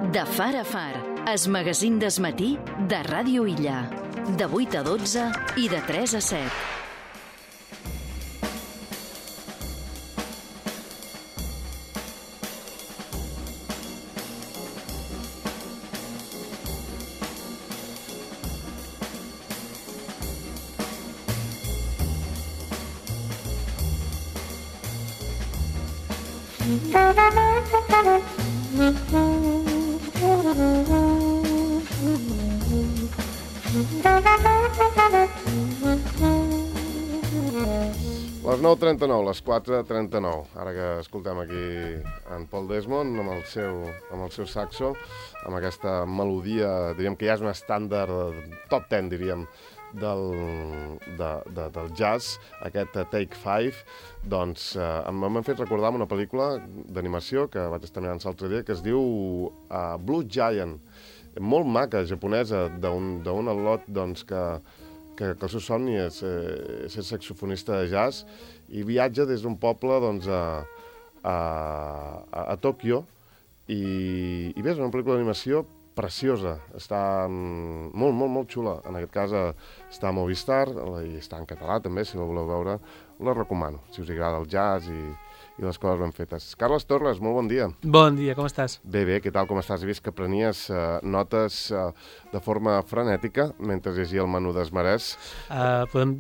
De far a far, es magazín d'esmatí de Ràdio Illa. De 8 a 12 i de 3 a 7. Les 9:39, les 4:39. Ara que escoltem aquí en Paul Desmond amb el seu saxo, amb aquesta melodia, diríem que ja és un estàndard top 10, diríem, del jazz, aquest Take 5, doncs m'han fet recordar una pel·lícula d'animació que vaig estar mirant l'altre dia, que es diu Blue Giant, molt maca, japonesa, d'un al·lot doncs, que el seu somni és ser saxofonista de jazz i viatja des d'un poble doncs, a Tòquio i bé, és una pel·lícula d'animació preciosa, està molt, molt, molt xula. En aquest cas està a Movistar i està en català també, si la voleu veure, la recomano, si us agrada el jazz i les coses ben fetes. Carles Torres, molt bon dia. Bon dia, com estàs? Bé, què tal, com estàs? He vist que prenies notes de forma frenètica mentre llegia el menú d'Esmarès. Podem,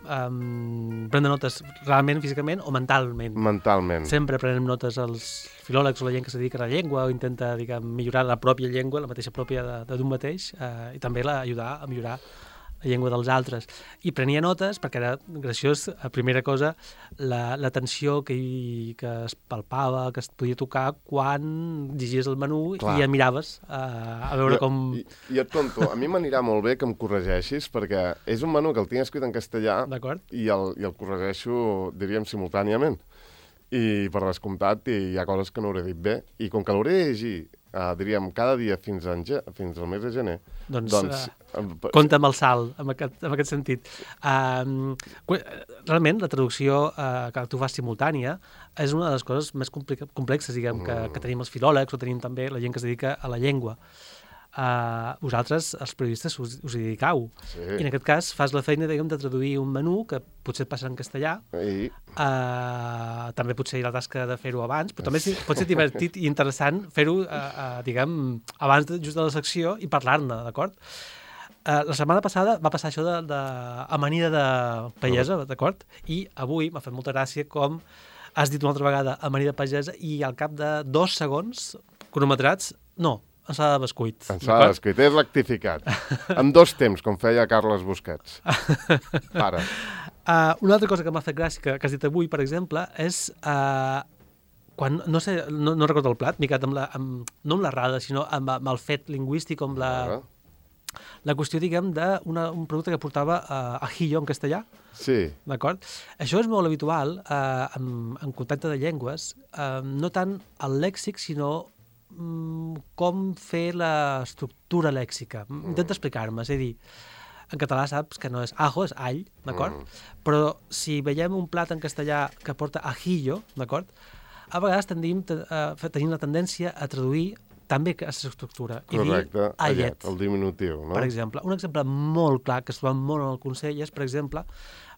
prendre notes realment, físicament o mentalment? Mentalment. Sempre prenem notes als filòlegs o la gent que se dedica a la llengua o intenta millorar la pròpia llengua, la mateixa pròpia d'un mateix, i també ajudar a millorar la llengua dels altres. I prenia notes perquè era graciós, primera cosa, la tensió que es palpava, que es podia tocar quan llegies el menú. Clar. I ja miraves a veure com... I et conto, a mi m'anirà molt bé que em corregeixis, perquè és un menú que el tinc escrit en castellà i el corregeixo, diríem, simultàniament. I per descomptat hi ha coses que no hauré dit bé. I com que l'hauré de llegir, diríem, cada dia fins al mes de gener, doncs compta amb el salt, en aquest sentit. Realment, la traducció que tu fas simultània és una de les coses més complexes, diguem, que tenim els filòlegs o tenim també la gent que es dedica a la llengua. Vosaltres, els periodistes, us hi dedicau. Sí. I en aquest cas fas la feina, diguem, de traduir un menú que potser et passa en castellà. Sí. També potser hi ha la tasca de fer-ho abans, però també pot ser divertit i interessant fer-ho, diguem, abans just de la secció i parlar-ne, d'acord? La setmana passada va passar això d'amanida de pagesa, d'acord? I avui m'ha fet molta gràcia com has dit una altra vegada amanida pagesa i al cap de 2 segons cronometrats, no, ensalada de bescuit. Ensalada de bescuit, és rectificat. En 2 temps, com feia Carles Busquets. Para. Una altra cosa que m'ha fet gràcia, que has dit avui, per exemple, és quan, no sé, no recordo el plat, m'he quedat no amb l'errada, sinó amb el fet lingüístic, amb la qüestió, diguem, d'un producte que portava ajillo en castellà. Sí. D'acord? Això és molt habitual en contacte de llengües, no tant el lèxic, sinó com fer l'estructura lèxica. Intenta explicar-me, és a dir, en català saps que no és ajo, és all, d'acord? Però si veiem un plat en castellà que porta ajillo, d'acord? A vegades tenim la tendència a traduir també aquesta estructura. Correcte, allet, el diminutiu, no? Per exemple, un exemple molt clar que es troba molt en el Consell és, per exemple,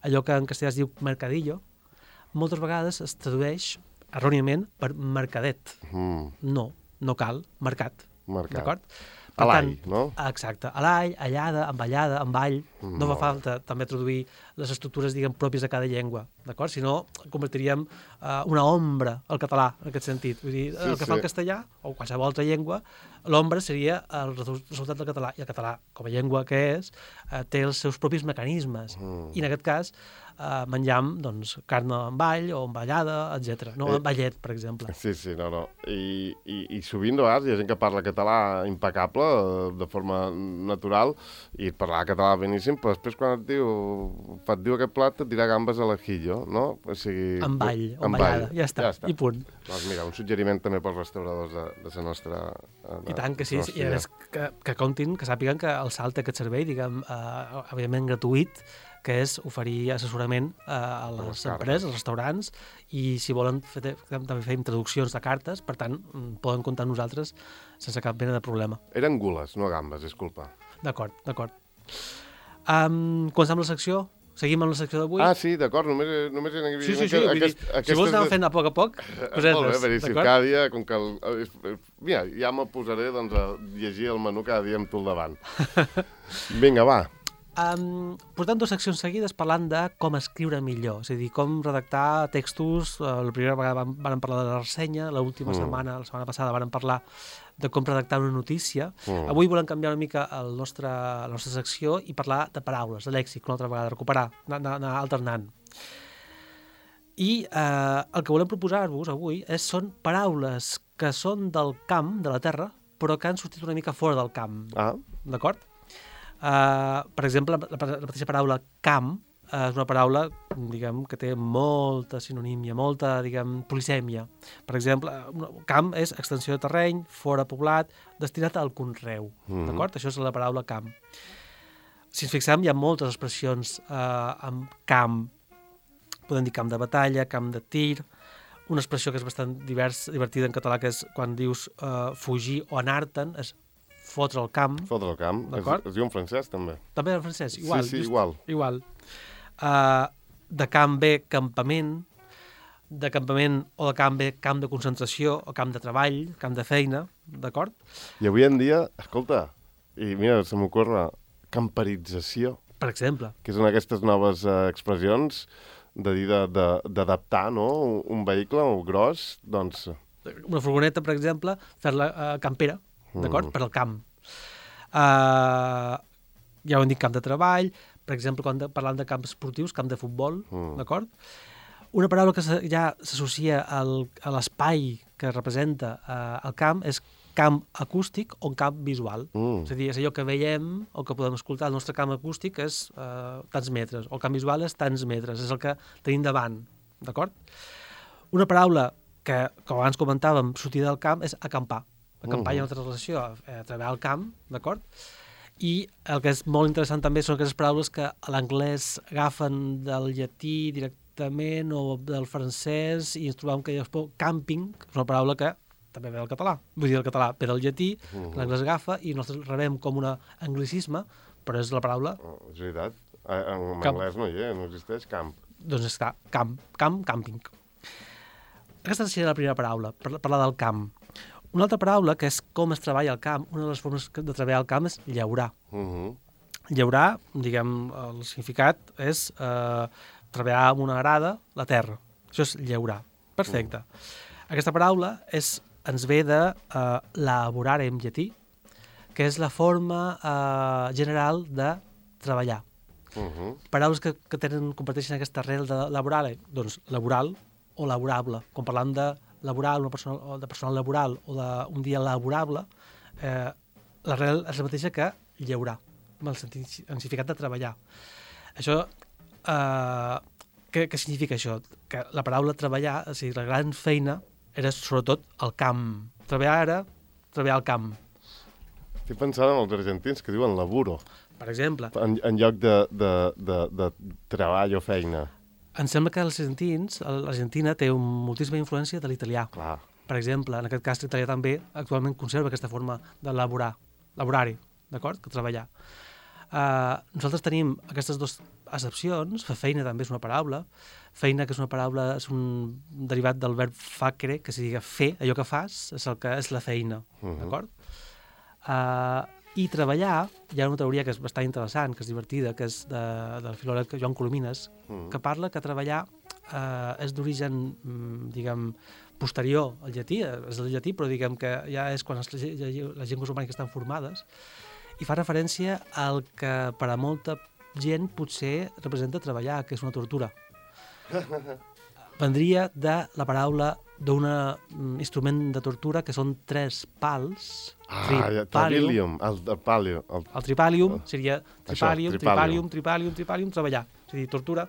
allò que en castellà es diu mercadillo, moltes vegades es tradueix erròniament per mercadet. No cal, mercat. D'acord? A l'all, no? Exacte. A l'all, allada, amb allada, amb all. No fa falta també traduir les estructures, diguem, pròpies de cada llengua, d'acord? Si no, convertiríem una ombra al català, en aquest sentit. Vull dir, el que fa el castellà, o qualsevol altra llengua, l'ombra seria el resultat del català. I el català, com a llengua que és, té els seus propis mecanismes. I en aquest cas, menjam, doncs, carn amb all o amb allada, etc. No amb ballet, per exemple. Sí, no. I sovint, de vegades, hi ha gent que parla català impecable, de forma natural, i parlar català beníssim, però després quan et diu aquest plat, et dirà gambes a l'ajillo, no? O sigui... Amb all, o amb allada, ja està, i punt. Doncs mira, un suggeriment també pels restauradors de la nostra... I tant que sí, i a més que comptin, que sàpiguen que el salt té aquest servei, diguem, evidentment gratuït, que és oferir assessorament a les empreses, als restaurants, i si volen també fem traduccions de cartes, per tant, poden comptar amb nosaltres sense cap mena de problema. Eren gules, no gambes, disculpa. D'acord. Comencem la secció? Seguim amb la secció d'avui? Ah, sí, d'acord, només hi havia... Sí, si vols anar fent a poc, cosetes. Molt bé, si cada dia, com que... Mira, ja me posaré doncs, a llegir el menú cada dia amb tu al davant. Vinga, va. Portem 2 seccions seguides parlant de com escriure millor, és a dir, com redactar textos. La primera vegada vam parlar de la ressenya, l'última setmana, la setmana passada, vam parlar de com redactar una notícia. Avui volem canviar una mica la nostra secció i parlar de paraules, de lèxic, una altra vegada, recuperar, anar alternant. I el que volem proposar-vos avui són paraules que són del camp, de la terra, però que han sortit una mica fora del camp. D'acord? Per exemple, la mateixa paraula camp és una paraula, diguem, que té molta sinonímia, molta, diguem, polisèmia. Per exemple, camp és extensió de terreny, fora poblat, destinat al conreu. D'acord? Això és la paraula camp. Si ens fixem, hi ha moltes expressions amb camp. Podem dir camp de batalla, camp de tir. Una expressió que és bastant divertida en català, que és quan dius fugir o anar-te'n, és fotre el camp. Fotre el camp. Es diu en francès, també. També en francès, igual. Sí, igual. De camp ve campament, de campament o de camp ve camp de concentració o camp de treball, camp de feina, d'acord? I avui en dia, escolta, i mira, se m'ocorre, camperització. Per exemple. Que són aquestes noves expressions de dir d'adaptar, no?, un vehicle gros, doncs... Una furgoneta, per exemple, fer-la campera, d'acord? Per al camp. Ja ho hem dit, camp de treball, per exemple, quan parlant de camps esportius, camp de futbol, d'acord? Una paraula que ja s'associa a l'espai que representa el camp és camp acústic o camp visual. És a dir, és allò que veiem o que podem escoltar. El nostre camp acústic és tants metres, o el camp visual és tants metres, és el que tenim davant, d'acord? Una paraula que, com abans comentàvem, sortir del camp és acampar. Acampar hi ha una altra relació a treballar al camp, d'acord? I el que és molt interessant també són aquestes paraules que a l'anglès agafen del llatí directament o del francès i ens trobem que camping és una paraula que també ve del català. Vull dir, el català ve del llatí, l'anglès agafa i nosaltres rebem com un anglicisme, però és la paraula... És veritat. En anglès no hi és, no existeix camp. Doncs està, camping. Aquesta seria la primera paraula, parlar del camp. Una altra paraula, que és com es treballa al camp, una de les formes de treballar al camp és llaurar. Llaurar, diguem, el significat és treballar amb una arada la terra. Això és llaurar. Perfecte. Aquesta paraula ens ve de laborare en llatí, que és la forma general de treballar. Paraules que comparteixen aquesta arrel de laborare, doncs laboral o laborable. Quan parlam de laboral, de personal laboral o d'un dia laborable, l'arrel és la mateixa que llaurar, amb el significat de treballar. Això, què significa això? Que la paraula treballar, o sigui, la gran feina, era sobretot al camp. Treballar era treballar al camp. Estic pensant en els argentins que diuen laburo. Per exemple. En lloc de treball o feina. Em sembla que l'Argentina té moltíssima influència de l'italià. Clar. Per exemple, en aquest cas l'italià també actualment conserva aquesta forma de laborari, d'acord? Que treballar. Nosaltres tenim aquestes dues accepcions. Fer feina també és una paraula. Feina, que és una paraula, és un derivat del verb facere, que significa fer, allò que fas, és la feina, d'acord? I treballar, hi ha una teoria que és bastant interessant, que és divertida, que és del filòleg Joan Colomines, que parla que treballar és d'origen, diguem, posterior al llatí, és del llatí, però diguem que ja és quan les llengües romàniques estan formades, i fa referència al que per a molta gent potser representa treballar, que és una tortura. Vendria de la paraula d'un instrument de tortura que són 3 pals. Tripalium. El tripalium seria tripalium, treballar. És a dir, torturar.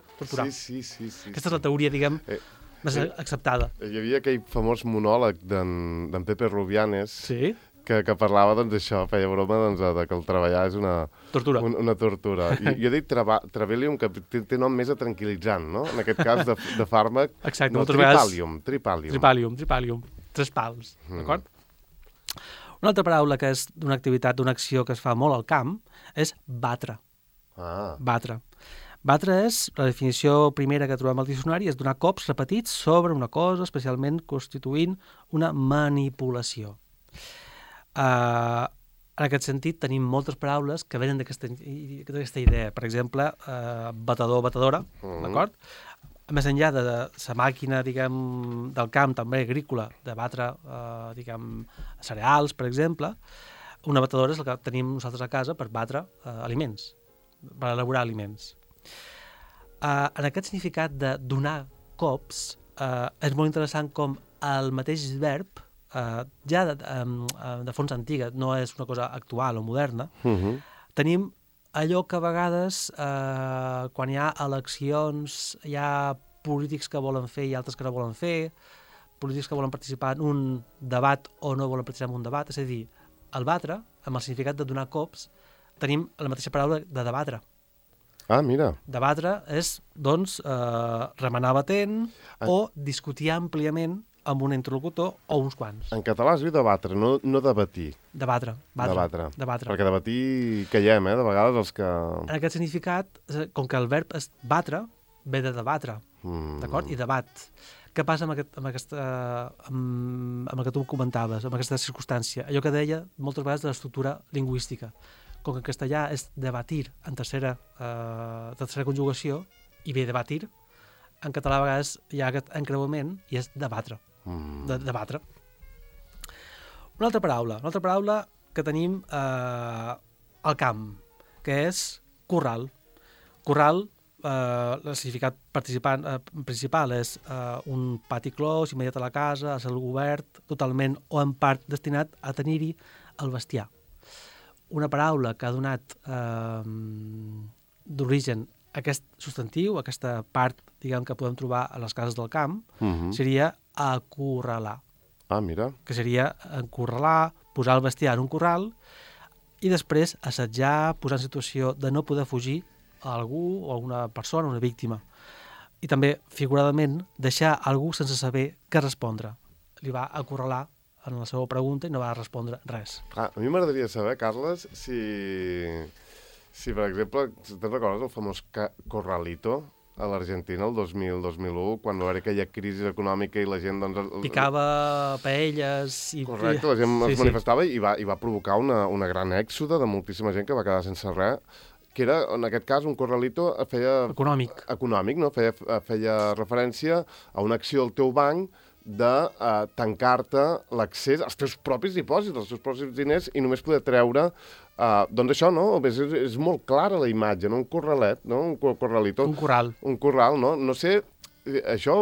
Sí. Aquesta és la teoria, diguem, més acceptada. Hi havia aquell famós monòleg d'en Pepe Rubianes, que parlava, doncs, això, feia broma, doncs, de que el treballar és una tortura. I jo he dit Travalium, que té nom més a tranquil·litzant, no? En aquest cas, de fàrmac. Exacte, no, Tripalium. Tres pals, d'acord? Una altra paraula que és d'una activitat, d'una acció que es fa molt al camp, és batre. Batre. Batre és, la definició primera que trobem al diccionari, és donar cops repetits sobre una cosa, especialment constituint una manipulació. En aquest sentit, tenim moltes paraules que venen d'aquesta idea. Per exemple, batedor, batedora, d'acord? Més enllà de la màquina, diguem, del camp, també agrícola, de batre, diguem, cereals, per exemple, una batedora és el que tenim nosaltres a casa per batre aliments, per elaborar aliments. En aquest significat de donar cops, és molt interessant com el mateix verb, ja de fons antiga, no és una cosa actual o moderna, tenim allò que a vegades, quan hi ha eleccions, hi ha polítics que volen fer i altres que no volen fer, polítics que volen participar en un debat o no volen participar en un debat, és a dir, el batre, amb el significat de donar cops, tenim la mateixa paraula de debatre. Mira. Debatre és, doncs, remenar batent o discutir àmpliament amb un interlocutor o uns quants. En català es diu debatre, no debatir. Debatre. Perquè debatir caiem, de vegades els que... En aquest significat, com que el verb és batre, ve de debatre, d'acord? I debat. Què passa amb el que tu comentaves, amb aquesta circumstància? Allò que deia moltes vegades de l'estructura lingüística. Com que en castellà és debatir en tercera conjugació i ve debatir, en català a vegades hi ha aquest encreuament i és debatre. Debatre. Una altra paraula que tenim al camp, que és corral. Corral, el significat principal és un pati clos immediat a la casa, a cel obert, totalment o en part destinat a tenir-hi el bestiar. Una paraula que ha donat d'origen aquest substantiu, aquesta part, diguem, que podem trobar a les cases del camp, seria acorralar. Mira. Que seria encorralar, posar el bestiar en un corral i després assetjar, posar en situació de no poder fugir a algú o a una persona, una víctima. I també, figuradament, deixar algú sense saber què respondre. Li va acorralar en la seva pregunta i no va respondre res. A mi m'agradaria saber, Carles, si per exemple, te'n recordes el famós Corralito a l'Argentina el 2000-2001, quan va haver aquella crisi econòmica i la gent... Picava paelles... Correcte, la gent es manifestava i va provocar una gran èxode de moltíssima gent que va quedar sense res, que era, en aquest cas, un Corralito econòmic, no? Feia referència a una acció del teu banc de tancar-te l'accés als teus propis dipòsits, als teus propis diners i només poder treure, doncs això, no? És molt clara la imatge, no? Un corralet, no? Un corralito. Un corral. Un corral, no? No sé, això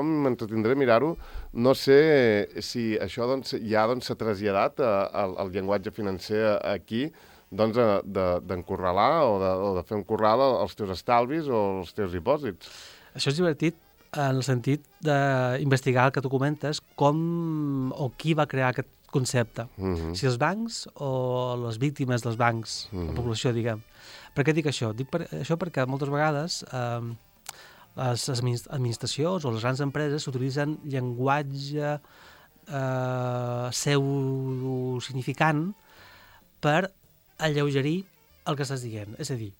m'entretindré a mirar-ho, no sé si això ja s'ha traslladat al llenguatge financer aquí, doncs d'encorralar o de fer un corral als teus estalvis o als teus dipòsits. Això és divertit en el sentit d'investigar el que tu comentes, com o qui va crear aquest concepte. Si els bancs o les víctimes dels bancs, la població, diguem. Per què dic això? Dic això perquè moltes vegades les administracions o les grans empreses utilitzen llenguatge pseudo-significant per alleugerir el que estàs dient. És a dir,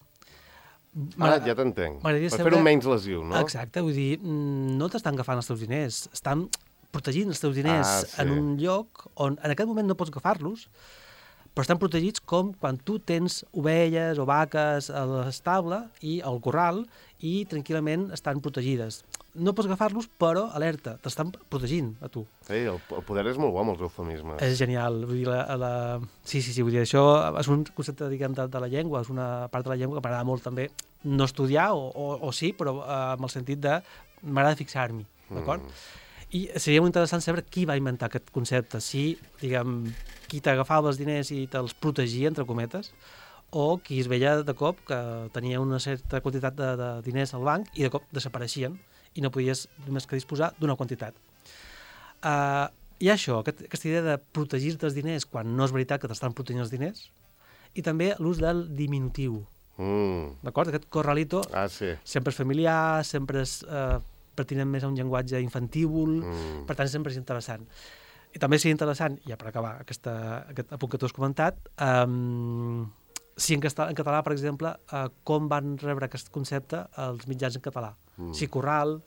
ja t'entenc. Per fer-ho menys lesiu, no? Exacte, vull dir, no t'estan agafant els teus diners, estan protegint els teus diners en un lloc on en aquest moment no pots agafar-los, però estan protegits com quan tu tens ovelles o vaques a l'estable i al corral i tranquil·lament estan protegides. No pots agafar-los, però alerta, t'estan protegint a tu. Sí, el poder és molt bo amb els eufemismes. És genial, vull dir, sí, vull dir, això és un concepte, diguem, de la llengua, és una part de la llengua que m'agrada molt també no estudiar, o sí, però amb el sentit de m'agrada fixar-m'hi, d'acord? I seria molt interessant saber qui va inventar aquest concepte, si, diguem, qui t'agafava els diners i te'ls protegia, entre cometes, o qui es veia de cop que tenia una certa quantitat de diners al banc i de cop desapareixien i no podies només que disposar d'una quantitat. hi ha això, aquesta idea de protegir-te els diners quan no és veritat que t'estan protegint els diners, i també l'ús del diminutiu. D'acord? Aquest corralito sempre és familiar, sempre és pertinent més a un llenguatge infantívol, per tant sempre és interessant. I també seria interessant, ja per acabar aquest apunt que tu has comentat, si en català, per exemple, com van rebre aquest concepte els mitjans en català. Si corral,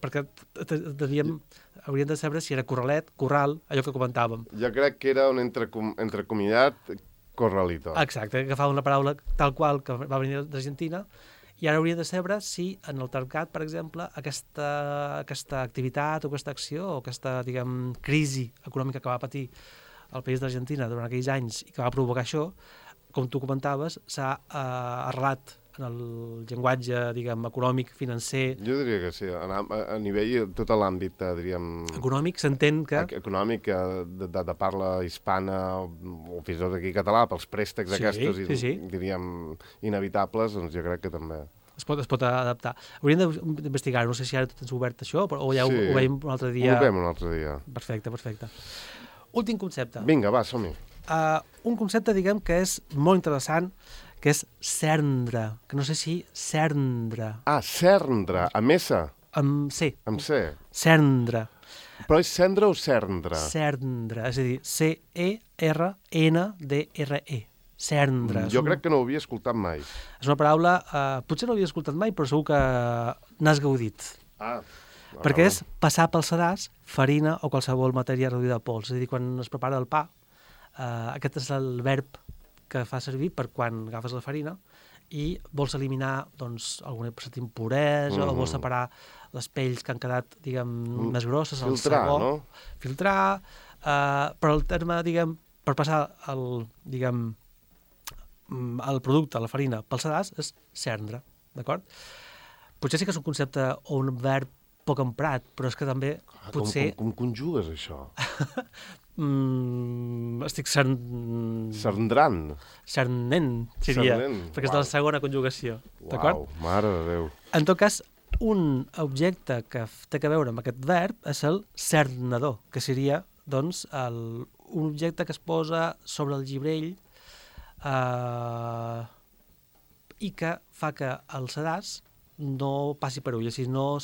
perquè hauríem de saber si era corralet, corral, allò que comentàvem. Jo crec que era un entrecomillat corralito. Exacte, agafava una paraula tal qual que va venir d'Argentina, i ara hauríem de saber si en el tercat, per exemple, aquesta activitat o aquesta acció o aquesta, diguem, crisi econòmica que va patir el país d'Argentina durant aquells anys i que va provocar això, com tu comentaves, s'ha arrelat en el llenguatge, diguem, econòmic, financer... Jo diria que sí, a nivell, tot l'àmbit, diríem... Econòmic, s'entén que... Econòmic, de parla hispana, o fins i tot aquí català, pels préstecs aquests, diríem, inevitables, doncs jo crec que també... Es pot adaptar. Hauríem d'investigar, no sé si ara tens obert això, o ja ho veiem un altre dia... Ho veiem un altre dia. Perfecte. Últim concepte. Vinga, va, som-hi. Un concepte, diguem, que és molt interessant, que és cerdre, que no sé si cerdre. Cerdre, amb S? Amb C. Amb C. Cerdre. Però és cendre o cerdre? Cerdre, és a dir, C-E-R-N-D-R-E. Cerdre. Jo crec que no ho havia escoltat mai. És una paraula, potser no l'havia escoltat mai, però segur que n'has gaudit. Perquè és passar pel sedàs farina o qualsevol matèria reduïda a pols. És a dir, quan es prepara el pa, aquest és el verb que fa servir per quan agafes la farina i vols eliminar, doncs, alguna certa impuresa o vols separar les pells que han quedat, diguem, més grosses, el sabó. No? Filtrar, però el terme, diguem, per passar el producte, la farina, pel sedàs, és cerdre, d'acord? Potser sí que és un concepte o un verb poc emprat, però és que també potser... Com conjugues això? Estic Cerdrant. Cernent, seria, perquè és de la segona conjugació. Uau, mare de Déu. En tot cas, un objecte que té a veure amb aquest verb és el cernador, que seria, doncs, un objecte que es posa sobre el gibrell i que fa que el sedàs no passi per ull, així no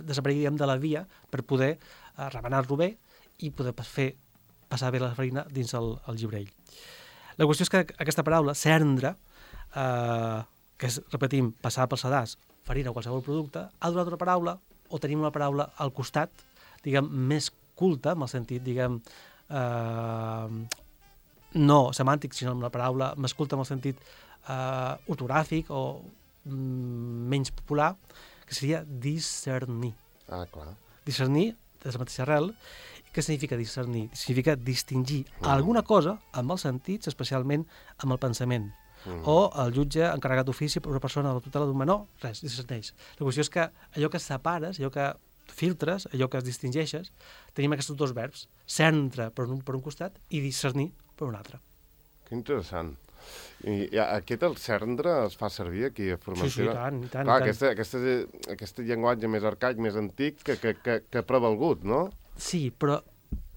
desaparegui de la via per poder remenar-lo bé i poder passar bé la farina dins el gibrell. La qüestió és que aquesta paraula, cerdre, que és, repetim, passar pel sedàs, farina o qualsevol producte, ha donat una paraula, o tenim una paraula al costat, diguem, més culta, en el sentit, diguem, no semàntic, sinó amb la paraula més culta en el sentit ortogràfic o menys popular, que seria discernir. Clar. Discernir, és la mateixa arrel, què significa discernir? Significa distingir alguna cosa amb els sentits, especialment amb el pensament. O el jutge encarregat d'ofici per una persona de la tutela d'un menor, res, discerneix. La qüestió és que allò que separes, allò que filtres, allò que es distingeixes, tenim aquests dos verbs, cendre per un costat i discernir per un altre. Que interessant. I aquest el cerdre es fa servir aquí a Formentera? Sí, i tant. Clar, aquest llenguatge més arcaic, més antic, que ha prevalgut, no? Sí, però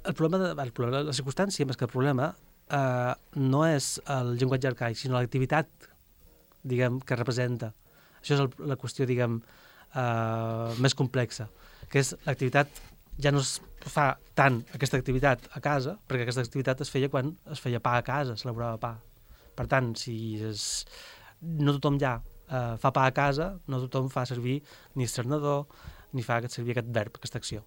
el problema, la circumstància, més que el problema, no és el llenguatge arcaic, sinó l'activitat, diguem, que representa. Això és la qüestió, diguem, més complexa, que és l'activitat, ja no es fa tant aquesta activitat a casa, perquè aquesta activitat es feia quan es feia pa a casa, s'elaborava pa. Per tant, no tothom ja fa pa a casa, no tothom fa servir ni cernador, ni fa servir aquest verb, aquesta acció.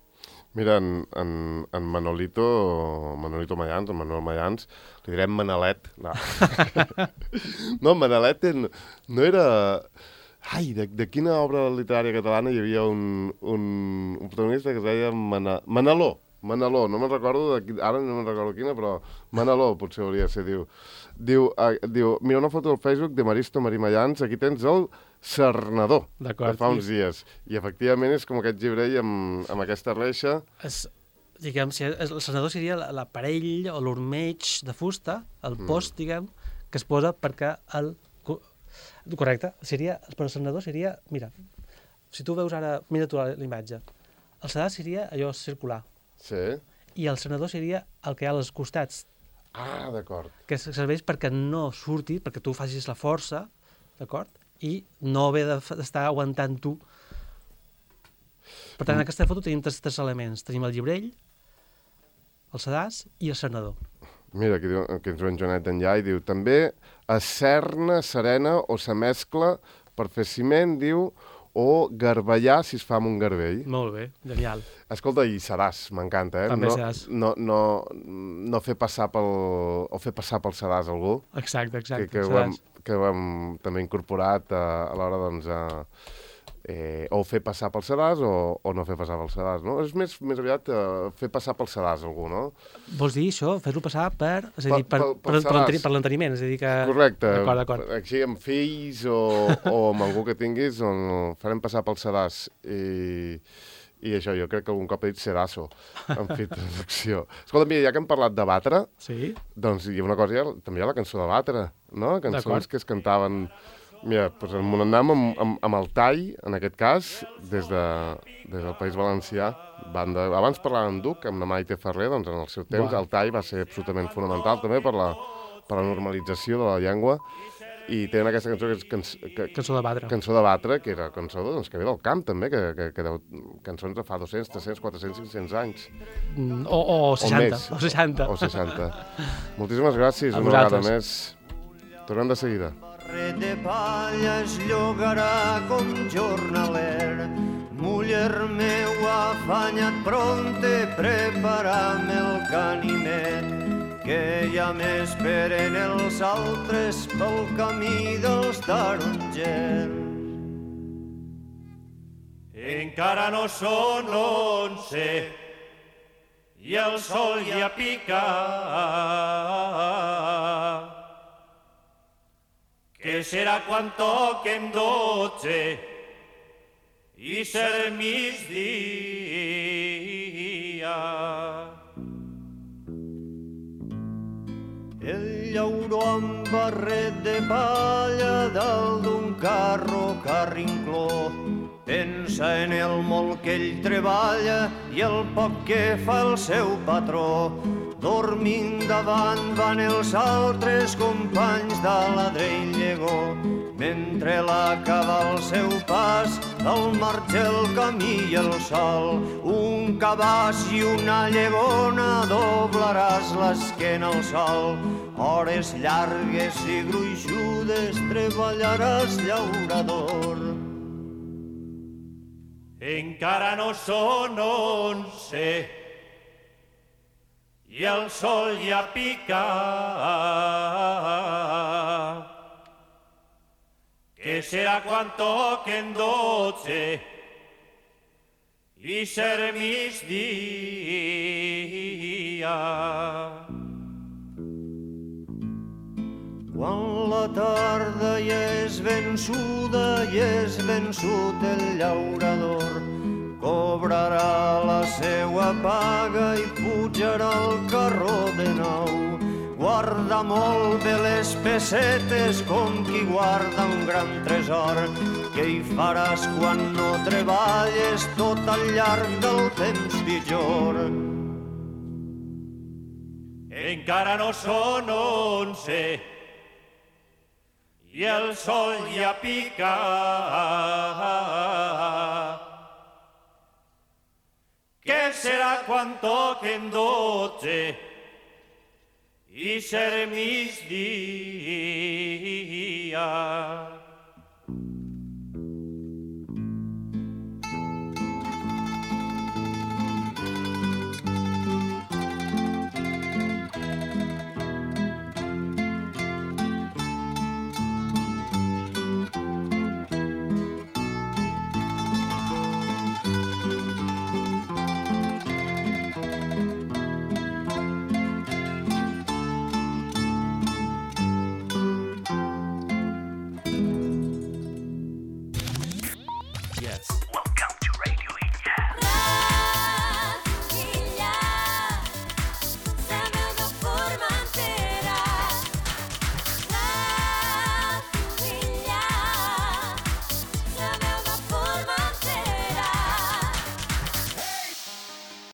Mira, en Manolito Mayans, en Manuel Mayans, li direm Manalet. No, Manalet no era... Ai, de quina obra literària catalana hi havia un protagonista que es deia Manaló, no me'n recordo, ara no me'n recordo quina, però Manaló potser hauria de ser, diu, mira una foto del Facebook de Maristo Marimayans, aquí tens el cernador de fa uns dies, i efectivament és com aquest gibrell amb aquesta reixa. Diguem, el cernador seria l'aparell o l'ormeig de fusta, el post, diguem, que es posa perquè correcte, però el cernador seria, mira, si tu veus ara, mira tu la imatge, El sedàs seria allò circular. Sí. I el senador seria el que hi ha als costats, Ah, d'acord. que serveix perquè no surti, perquè tu facis la força, d'acord? I no haver d'estar aguantant tu. Per tant, en aquesta foto tenim tres elements. Tenim el llibrell, el sedàs i el senador. Mira, aquí ens ve en Joanet d'enllà i diu també acerna, serena o se mescla per fer ciment, diu, o garballar si es fa amb un garbell. Molt bé, genial. Escolta, i sedàs, m'encanta, També sedàs. No fer passar pel... o fer passar pel sedàs algú. Exacte, Que ho hem també incorporat a l'hora, doncs, o fer passar pel sedàs o no fer passar pel sedàs, no? És més aviat fer passar pel sedàs algú, no? Vols dir això? Fer-lo passar per... És a dir, per l'enteniment, és a dir que... Correcte. D'acord. Així amb fills o amb algú que tinguis, on farem passar pel sedàs i això, jo crec que algun cop he dit sedasso, en fi, traducció. Escolta, mira, ja que hem parlat de batre, sí? Doncs hi ha una cosa, també hi ha la cançó de batre, no? Cançons que es cantaven... Mira, doncs anàvem amb el tall, en aquest cas, des del País Valencià. Abans parlàvem d'Uc, amb la Maite Ferrer, doncs en el seu temps el tall va ser absolutament fonamental també per la normalització de la llengua. I tenen aquesta cançó que és Cançó de batre. Cançó de batre, que era cançó doncs, que ve del camp també, que cançons de fa 200, 300, 400, 500 anys. O 60. O 60. O 60. Moltíssimes gràcies, una vegada més. Tornem de seguida. Barret de palla es llogarà com jornaler. Muller meu, afanya't pronte, preparam el canimet, que ja m'esperen els altres pel camí dels tarongers. Encara no són 11 i el sol ja pica, que serà quan toquen 12 i ser migdia. El llauró amb barret de palla dalt d'un carro carrincló pensa en el molt que ell treballa i el poc que fa el seu patró. Dormint davant van els altres companys d'Aladre i Llegó, mentre l'acaba el seu pas al marge el camí i el sol. Un cabàs i una llegona doblaràs l'esquena al sol. Hores llargues i gruixudes treballaràs llaurador. Encara no són 11 i el sol ja pica, que serà quan toquen 12 i ser migdia. Quan la tarda ja és vençuda i és vençut el llaurador, cobrarà la seua paga i pujarà al carro de nou. Guarda molt bé les pessetes com qui guarda un gran tresor, que hi faràs quan no treballes tot al llarg del temps pitjor. Encara no són 11 i el sol ja pica, que serà quan toquen 12 i ser migdia.